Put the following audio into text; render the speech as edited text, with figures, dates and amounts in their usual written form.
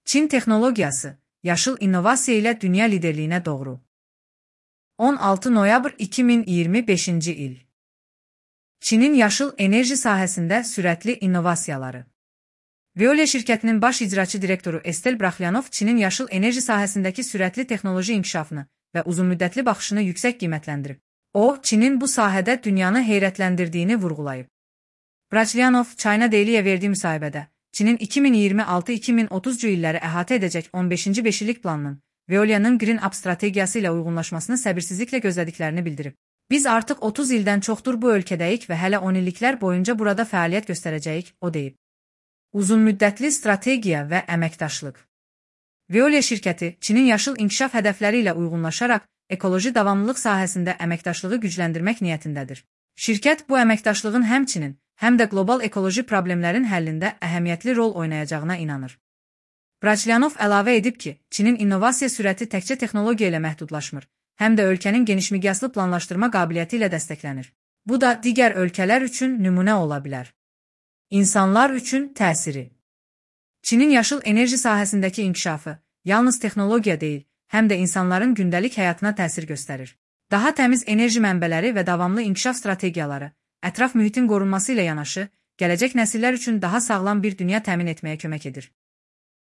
Çin texnologiyası, yaşıl innovasiya ilə dünya liderliyinə doğru. 16 noyabr 2025-ci il. Çinin yaşıl enerji sahəsində sürətli innovasiyaları. Veolia şirkətinin baş icraçı direktoru Estel Braxlyanov Çinin yaşıl enerji sahəsindəki sürətli texnoloji inkişafını və uzunmüddətli baxışını yüksək qiymətləndirib. O, Çinin bu sahədə dünyanı heyrətləndirdiyini vurğulayıb. Braxlyanov, China Daily'yə verdiyi müsahibədə, Çinin 2026-2030-cu illəri əhatə edəcək 15-ci beşillik planının Veolia'nın Green Up strategiyası ilə uyğunlaşmasını səbirsizliklə gözlədiklərini bildirib. Biz artıq 30 ildən çoxdur bu ölkədəyik və hələ 10 illiklər boyunca burada fəaliyyət göstərəcəyik, o deyib. Uzunmüddətli strategiya və əməkdaşlıq. Veolia şirkəti, Çinin yaşıl inkişaf hədəfləri ilə uyğunlaşaraq, ekoloji davamlılıq sahəsində əməkdaşlığı gücləndirmək niyyətindədir. Şirkət bu əməkdaşlığın həmçinin, həm də qlobal ekoloji problemlərin həllində əhəmiyyətli rol oynayacağına inanır. Braxlyanov əlavə edib ki, Çinin innovasiya sürəti təkcə texnologiya ilə məhdudlaşmır, həm də ölkənin genişmiqyaslı planlaşdırma qabiliyyəti ilə dəstəklənir. Bu da digər ölkələr üçün nümunə ola bilər. İnsanlar üçün təsiri. Çinin yaşıl enerji sahəsindəki inkişafı yalnız texnologiya deyil, həm də insanların gündəlik həyatına təsir göstərir. Daha təmiz enerji mənbələri və davamlı inkişaf strategiyaları, ətraf mühitin qorunması ilə yanaşı, gələcək nəsillər üçün daha sağlam bir dünya təmin etməyə kömək edir.